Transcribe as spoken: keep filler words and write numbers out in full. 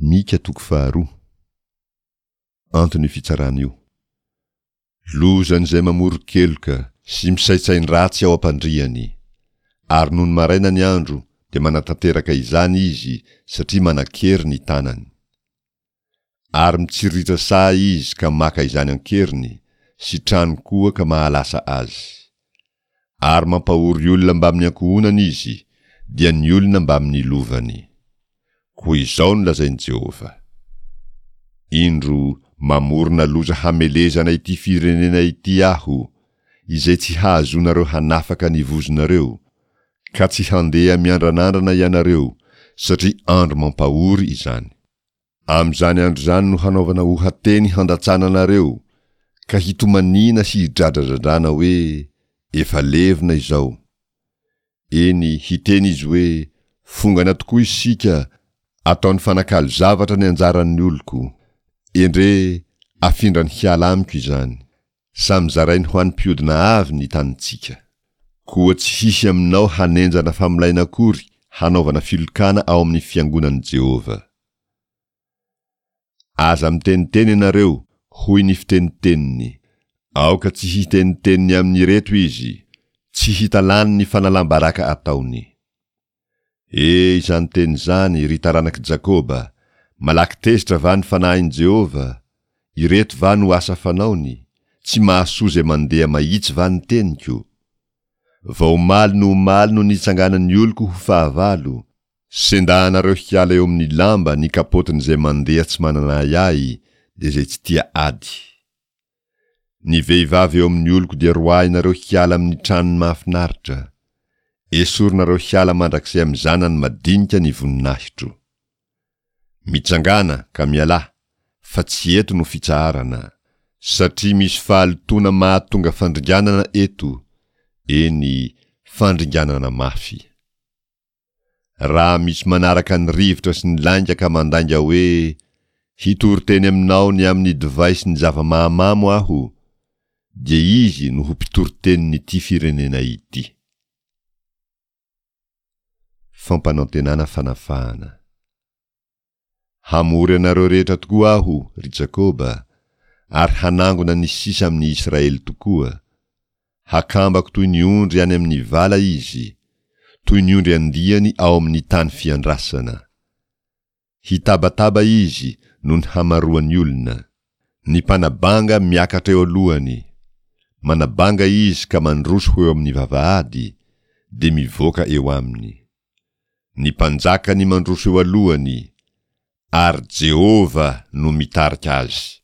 Mika toko faharoa. Anton'io fitsarana io. Lozan'izay mamoron-keloka sy misaintsain-dratsy ao am-pandriany. Ary nony maraina ny andro dia manatanteraka izany izy satria manan-kery ny tanany. Ary mitsiriritra saha izy ka maka izany an-keriny, sy trano koa ka mahalasa azy. Ary mampahory olona mbamin'ny ankohonany izy, dia ny olona mbamin'ny lovany. Koa izao no lazain'i Jehovah, Indro, mamorona loza hamelezana ity firenena ity Aho, izay tsy hahazoanareo hanafaka ny vozonareo, ka tsy handeha miandranandrana ianareo, satria andro mampahory izany. Amin'izany andro izany no hanaovana oha-teny handatsana anareo, ka hitomaniana sy hidradradradrana hoe, Efa levona izao. Eny, hiteny izy hoe, Fongana tokoa isika, ataony fanakalo zavatra ny anjaran'ny oloko. Endrey, afindrany hiala amiko izany. Samy zarainy ho an'ny mpiodina avy ny tanintsika. Koa tsy hisy aminao hanenjana famolaina akory hanaovana filokana ao amin'ny fiangonan'i Jehovah. Aza miteniteny ianareo, hoy ny fiteniteniny. Aoka tsy hiteniteny ny amin'ireto izy, tsy hita lany ny fanalam-baraka ataony. E, izany teny izany, ry taranak'i Jakoba, malaky tezitra va ny fanahin'i Jehovah? Ireto va no asa fanaony? Tsy mahasoa izay mandeha mahitsy va ny teniko? Vao omaly no omaly no nitsanganan'ny oloko ho fahavalo, Sendahanareo hiala eo amin'ny lamba ny kapotin'izay mandeha tsy manana ahiahy, dia izay tsy tia ady. Ny vehivavy eo amin'ny oloko dia roahinareo hiala amin'ny tranony mahafinaritra. Esorinareo hiala mandrakizay amin'ny zanany madinika ny voninahitro. Mitsangàna ka mialà, fa tsy eto no fitsaharana. Satria misy fahalotoana mahatonga fandringanana eto, eny, fandringanana mafy. Raha misy manaraka ny rivotra sy ny lainga ka mandainga hoe, Hitory teny aminao ny amin'ny divay sy ny zava-mahamamo aho, dia izy no ho mpitory tenin'ity firenena ity. Fampanantenana fanafahana. Hamory anareo rehetra tokoa Aho, ry Jakoba, ary hanangona ny sisa amin'i Israely tokoa. Hakambako toy ny ondry any amin'ny vala izy, toy ny ondry andiany ao amin'ny tany fiandrasana. Hitabataba izy noho ny hamaroan'ny olona. Ny mpanabanga miakatra eo alohany. Manabanga izy ka mandroso ho eo amin'ny vavahady, dia mivoaka eo aminy. Ny mpanjakany mandroso eo alohany, ary Jehovah no mitarika azy.